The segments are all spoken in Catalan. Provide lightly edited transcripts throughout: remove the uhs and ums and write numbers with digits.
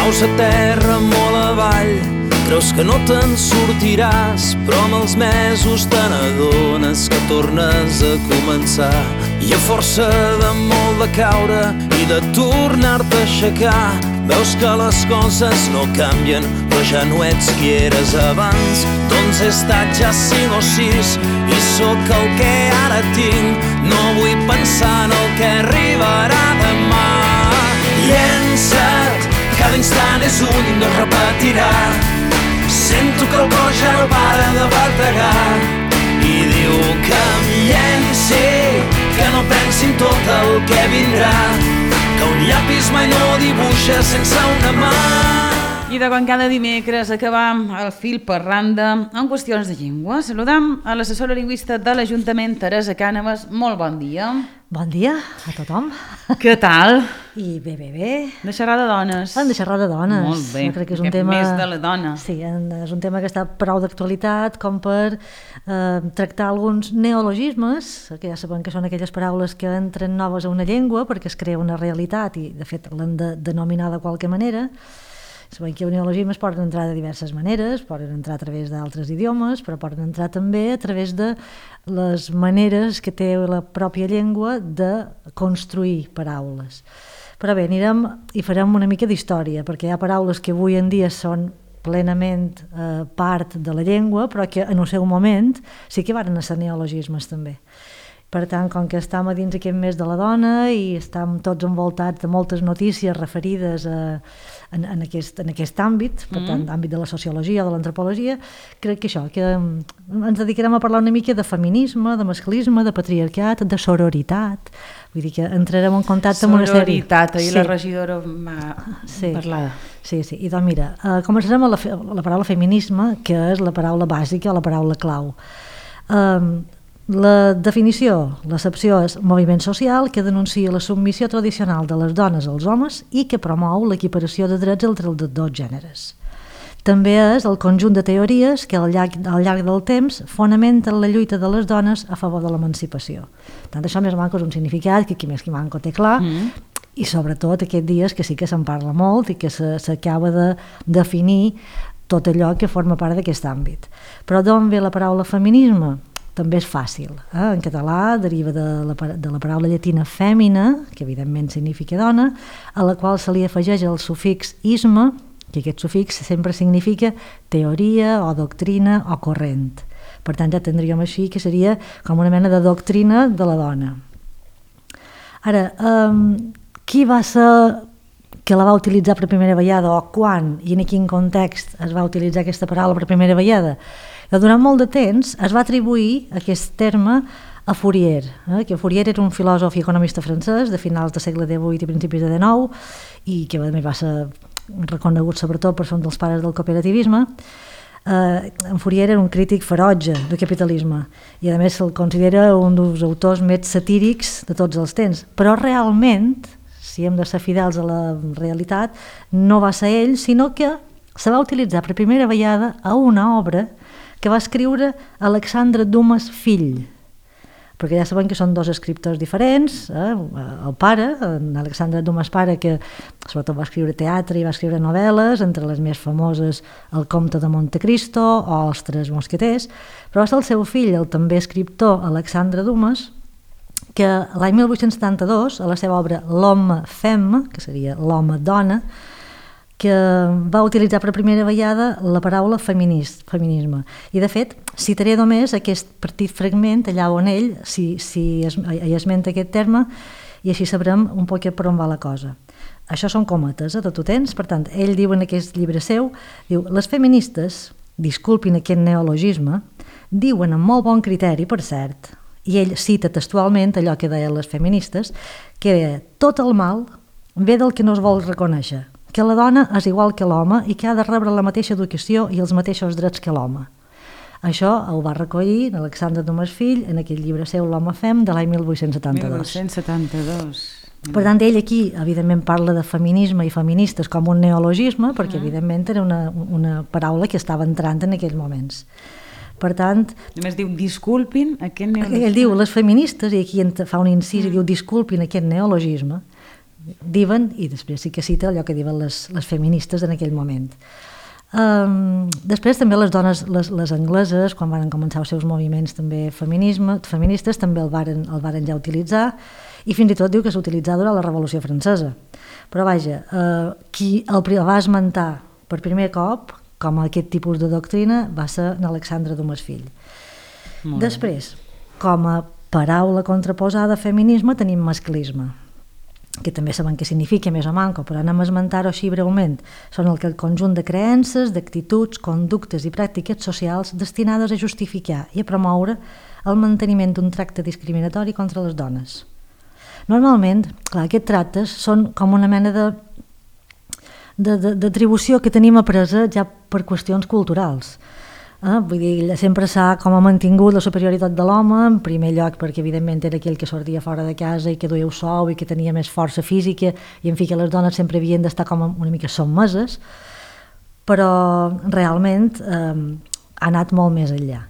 Caus a terra molt avall, creus que no te'n sortiràs, però amb els mesos te n'adones que tornes a començar. I a força de molt de caure i de tornar-te a aixecar, veus que les coses no canvien, però ja no ets qui eres abans. Doncs he estat ja 5 o 6 i sóc el que ara tinc. No vull pensar en el que arribarà demà. Llença't, cada instant és un i no es repetirà. Sento que el cor ja no para de bategar i diu que em llenci, que no pensi en tot el que vindrà, que un llapis mai no dibuixa sense una mà. I de quan cada dimecres acabam el fil per randa en qüestions de llengua, saludam a l'assessora lingüista de l'Ajuntament, Teresa Cànovas. Molt bon dia. Bon dia a tothom. Què tal? I bé. De xerrar de dones. De xerrar de dones. Molt bé, jo crec que és un tema... més de la dona. Sí, és un tema que està prou d'actualitat com per tractar alguns neologismes, que ja sabem que són aquelles paraules que entren noves a una llengua perquè es crea una realitat i de fet l'han de denominar de qualque manera. Sabem que neologismes poden entrar de diverses maneres, poden entrar a través d'altres idiomes, però poden entrar també a través de les maneres que té la pròpia llengua de construir paraules. Però bé, anirem i farem una mica d'història, perquè hi ha paraules que avui en dia són plenament part de la llengua, però que en el seu moment sí que van ser neologismes també. Per tant, com que estem a dins aquest mes de la dona i estem tots envoltats de moltes notícies referides en aquest àmbit, per tant, àmbit de la sociologia o de l'antropologia, crec que això, que ens dedicarem a parlar una mica de feminisme, de masclisme, de patriarcat, de sororitat. Vull dir que entrarem en contacte amb una sèrie... Sororitat, ahir la regidora va parlar. Sí. I doncs mira, començarem amb la paraula feminisme, que és la paraula bàsica o la paraula clau. La definició, l'accepció és moviment social que denuncia la submissió tradicional de les dones als homes i que promou l'equiparació de drets entre els dos gèneres. També és el conjunt de teories que al llarg del temps fonamenten la lluita de les dones a favor de l'emancipació. Tant això més manco és un significat que qui més qui manco té clar i sobretot aquests dies que sí que se'n parla molt i que s'acaba de definir tot allò que forma part d'aquest àmbit. Però d'on ve la paraula feminisme? També és fàcil. En català deriva de la paraula llatina fèmina, que evidentment significa dona, a la qual se li afegeix el sufix isme, que aquest sufix sempre significa teoria o doctrina o corrent. Per tant, ja tindríem així que seria com una mena de doctrina de la dona. Ara, qui va ser que la va utilitzar per primera vegada o quan i en quin context es va utilitzar aquesta paraula per primera vegada? Durant molt de temps es va atribuir aquest terme a Fourier, que Fourier era un filòsof i economista francès de finals del segle XVIII i principis de XIX i que a més va ser reconegut sobretot per ser un dels pares del cooperativisme. En Fourier era un crític ferotge del capitalisme i a més se'l considera un dels autors més satírics de tots els temps, però realment, si hem de ser fidels a la realitat, no va ser ell, sinó que se va utilitzar per primera vegada a una obra que va escriure Alexandre Dumas fill, perquè ja sabem que són dos escriptors diferents, el pare, Alexandre Dumas pare, que sobretot va escriure teatre i va escriure novel·les, entre les més famoses El comte de Montecristo o Els tres mosqueters, però va ser el seu fill, el també escriptor Alexandre Dumas, que l'any 1872, a la seva obra L'homme femme, que seria l'home-dona, que va utilitzar per primera vegada la paraula feminisme. I de fet, citaré només aquest petit fragment allà on ell esmenta aquest terme i així sabrem un poc per on va la cosa. Això són cometes, tot ho tens? Per tant, ell diu en aquest llibre seu, diu, les feministes, disculpin aquest neologisme, diuen amb molt bon criteri, per cert, i ell cita textualment allò que deien les feministes, que tot el mal ve del que no es vol reconèixer, que la dona és igual que l'home i que ha de rebre la mateixa educació i els mateixos drets que l'home. Això ho va recollir Alexandre Dumas fill en aquell llibre seu L'homme fem de l'any 1872. 1872. Per tant, ell aquí, evidentment, parla de feminisme i feministes com un neologisme, perquè, evidentment, era una paraula que estava entrant en aquells moments. Per tant... Només diu, disculpin aquest neologisme. Ell diu, les feministes, i aquí fa un incís i diu, disculpin aquest neologisme, diuen, i després sí que cita allò que diuen les feministes en aquell moment. Després també les dones, les angleses, quan van començar els seus moviments també feministes, també el varen ja utilitzar, i fins i tot diu que s'utilitzava durant la Revolució Francesa. Però vaja, qui el va esmentar per primer cop com a aquest tipus de doctrina va ser Alexandre Dumas Fill. Després, com a paraula contraposada a feminisme tenim masclisme, que també sabem què significa més o manco, però anem a esmentar-ho així breument. Són el conjunt de creences, d'actituds, conductes i pràctiques socials destinades a justificar i a promoure el manteniment d'un tracte discriminatori contra les dones. Normalment, clar, aquests tractes són com una mena d'atribució que tenim apresa ja per qüestions culturals. Vull dir, sempre s'ha com a mantingut la superioritat de l'home, en primer lloc perquè evidentment era aquell que sortia fora de casa i que duia sou i que tenia més força física, i en fi que les dones sempre havien d'estar com una mica sotmeses, però realment ha anat molt més enllà.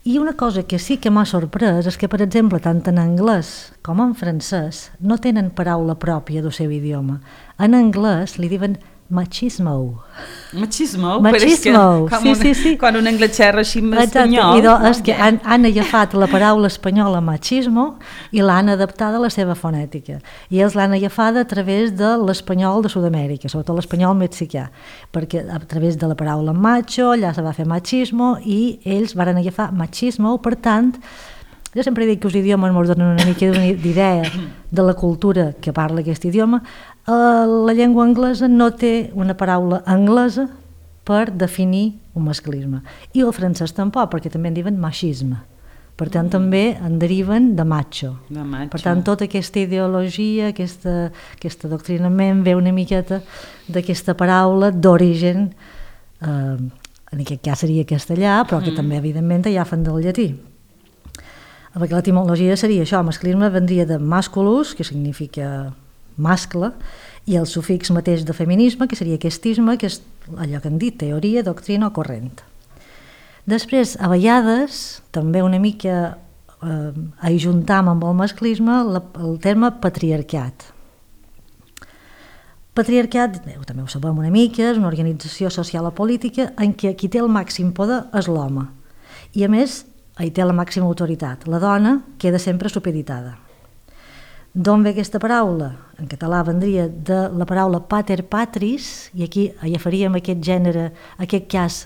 I una cosa que sí que m'ha sorprès és que, per exemple, tant en anglès com en francès no tenen paraula pròpia del seu idioma. En anglès li diuen machismo. Machismo? Machismo, sí. Quan un anglès xerra així en espanyol. És que han agafat la paraula espanyola machismo i l'han adaptada a la seva fonètica. I ells l'han agafada a través de l'espanyol de Sud-amèrica, sobretot l'espanyol mexicà, perquè a través de la paraula macho allà se va fer machismo i ells van agafar machismo, per tant, jo sempre dic que els idiomes ens donen una mica d'idea de la cultura que parla aquest idioma. La llengua anglesa no té una paraula anglesa per definir un masclisme. I el francès tampoc, perquè també en diuen machisme. Per tant, també en deriven de macho. Per tant, tota aquesta ideologia, aquest adoctrinament ve una miqueta d'aquesta paraula d'origen, en aquest cas seria castellà, però que també, evidentment, agafen del llatí. Perquè l'etimologia seria això, masclisme vendria de masculus, que significa mascle, i el sufix mateix de feminisme, que seria questisme, que és allò que han dit, teoria, doctrina o corrent. Després, a vegades, també una mica ajuntam amb el masclisme el terme patriarcat. Patriarcat, també ho sabem una mica, és una organització social o política en què qui té el màxim poder és l'home. I a més, hi té la màxima autoritat. La dona queda sempre supeditada. D'on ve aquesta paraula? En català vendria de la paraula pater patris, i aquí agafaríem aquest gènere, aquest cas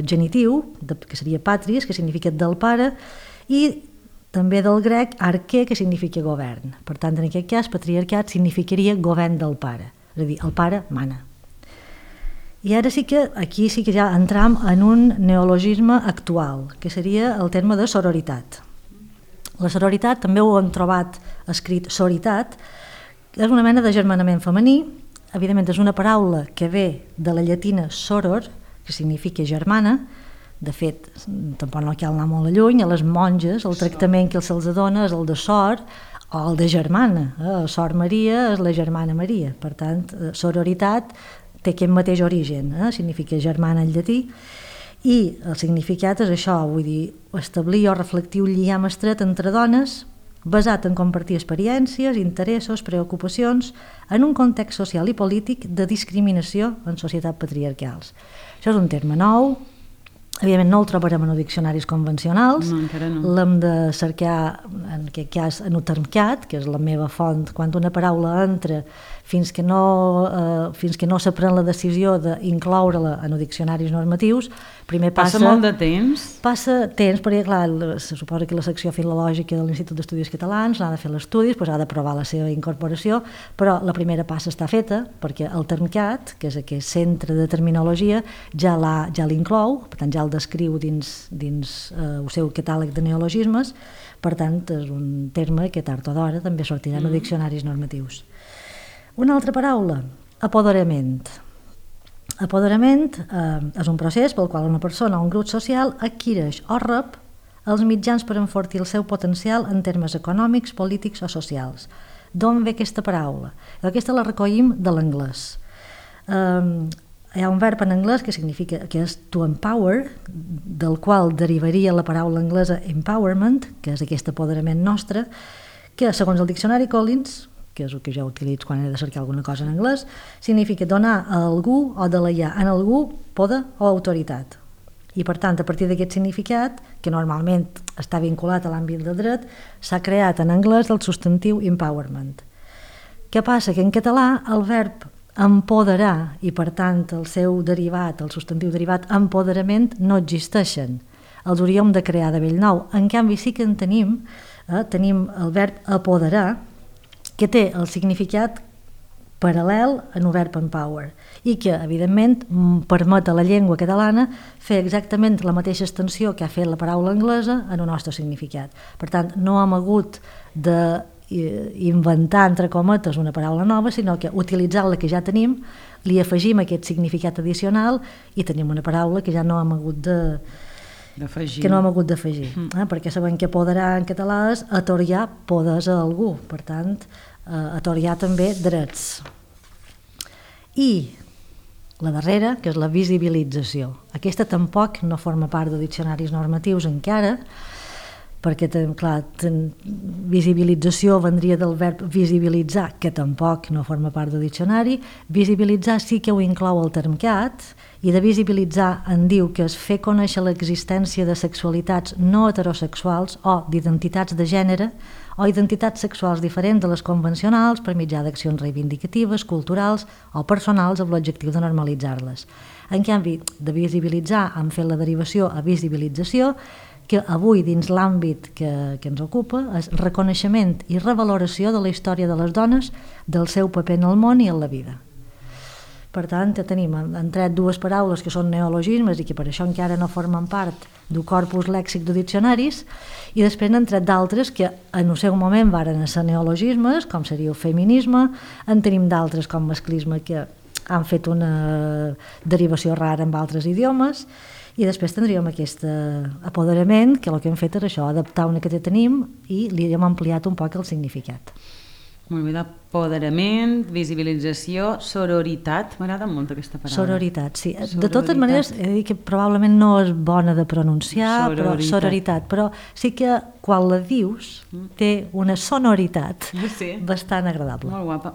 genitiu, que seria patris, que significa del pare, i també del grec arquer, que significa govern. Per tant, en aquest cas, patriarcat significaria govern del pare, és a dir, el pare mana. I ara aquí sí que ja entram en un neologisme actual, que seria el terme de sororitat. La sororitat, també ho hem trobat escrit soritat, és una mena de germanament femení, evidentment és una paraula que ve de la llatina soror, que significa germana. De fet, tampoc no cal anar molt lluny, a les monges el tractament que se'ls dona és el de sor o el de germana. Sor Maria és la germana Maria, per tant, sororitat té aquest mateix origen, significa germana en llatí, i el significat és això, vull dir, establir o reflectir un lligam estret entre dones basat en compartir experiències, interessos, preocupacions en un context social i polític de discriminació en societats patriarcals. Això és un terme nou, evidentment no el trobarem en els diccionaris convencionals, l'hem de cercar en aquest cas en Utermcat, que és la meva font, quan una paraula entra fins que no se pren la decisió d'incloure-la en els diccionaris normatius, primer passa molt de temps? Passa temps, perquè clar, se suposa que la secció filològica de l'Institut d'Estudis Catalans n'ha de fer l'estudi, doncs ha d'aprovar la seva incorporació, però la primera passa està feta, perquè el Termcat, que és aquest centre de terminologia, ja l'inclou, per tant ja el descriu dins el seu catàleg de neologismes, per tant és un terme que tard o d'hora també sortirà en els diccionaris normatius. Una altra paraula, apoderament. Apoderament és un procés pel qual una persona o un grup social adquireix o rep els mitjans per enfortir el seu potencial en termes econòmics, polítics o socials. D'on ve aquesta paraula? Aquesta la recollim de l'anglès. Hi ha un verb en anglès que significa que és to empower, del qual derivaria la paraula anglesa empowerment, que és aquest apoderament nostre, que segons el diccionari Collins que és el que jo utilitzo quan he de cercar alguna cosa en anglès, significa donar a algú o deleiar en algú poder o autoritat. I per tant, a partir d'aquest significat, que normalment està vinculat a l'àmbit del dret, s'ha creat en anglès el substantiu empowerment. Què passa? Que en català el verb empoderar i per tant el seu derivat, el substantiu derivat empoderament, no existeixen. Els hauríem de crear de bell nou. En canvi sí que en tenim el verb apoderar, que té el significat paral·lel en el verb empower i que, evidentment, permet a la llengua catalana fer exactament la mateixa extensió que ha fet la paraula anglesa en el nostre significat. Per tant, no hem hagut d'inventar, entre cometes, una paraula nova, sinó que utilitzant la que ja tenim, li afegim aquest significat addicional i tenim una paraula que ja no hem hagut d'afegir. Perquè sabem que apoderar en català és atorgar poders a algú, per tant, atorgar també drets. I la darrera, que és la visibilització. Aquesta tampoc no forma part de diccionaris normatius encara, perquè, clar, visibilització vendria del verb visibilitzar, que tampoc no forma part del diccionari. Visibilitzar sí que ho inclou el termcat, i de visibilitzar en diu que és fer conèixer l'existència de sexualitats no heterosexuals o d'identitats de gènere o identitats sexuals diferents de les convencionals per mitjà d'accions reivindicatives, culturals o personals amb l'objectiu de normalitzar-les. En canvi, de visibilitzar hem fet la derivació a visibilització, que avui dins l'àmbit que ens ocupa és reconeixement i revaloració de la història de les dones, del seu paper en el món i en la vida. Per tant, han tret dues paraules que són neologismes i que per això encara no formen part del corpus lèxic de diccionaris, i després n'han tret d'altres que en el seu moment varen ser neologismes, com seria el feminisme, en tenim d'altres com masclisme que han fet una derivació rara amb altres idiomes, i després tindríem aquest apoderament, que el que hem fet és això, adaptar una que tenim i li hem ampliat un poc el significat. Molt bé, d'apoderament, visibilització, sororitat. M'agrada molt aquesta paraula. Sororitat, sí. De totes maneres, he de dir que probablement no és bona de pronunciar, sororitat, però sí que quan la dius té una sonoritat bastant agradable. Molt guapa.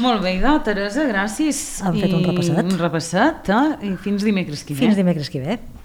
Molt bé, Teresa, gràcies. Hem fet un repasset. I fins dimecres que ve. Fins dimecres que ve.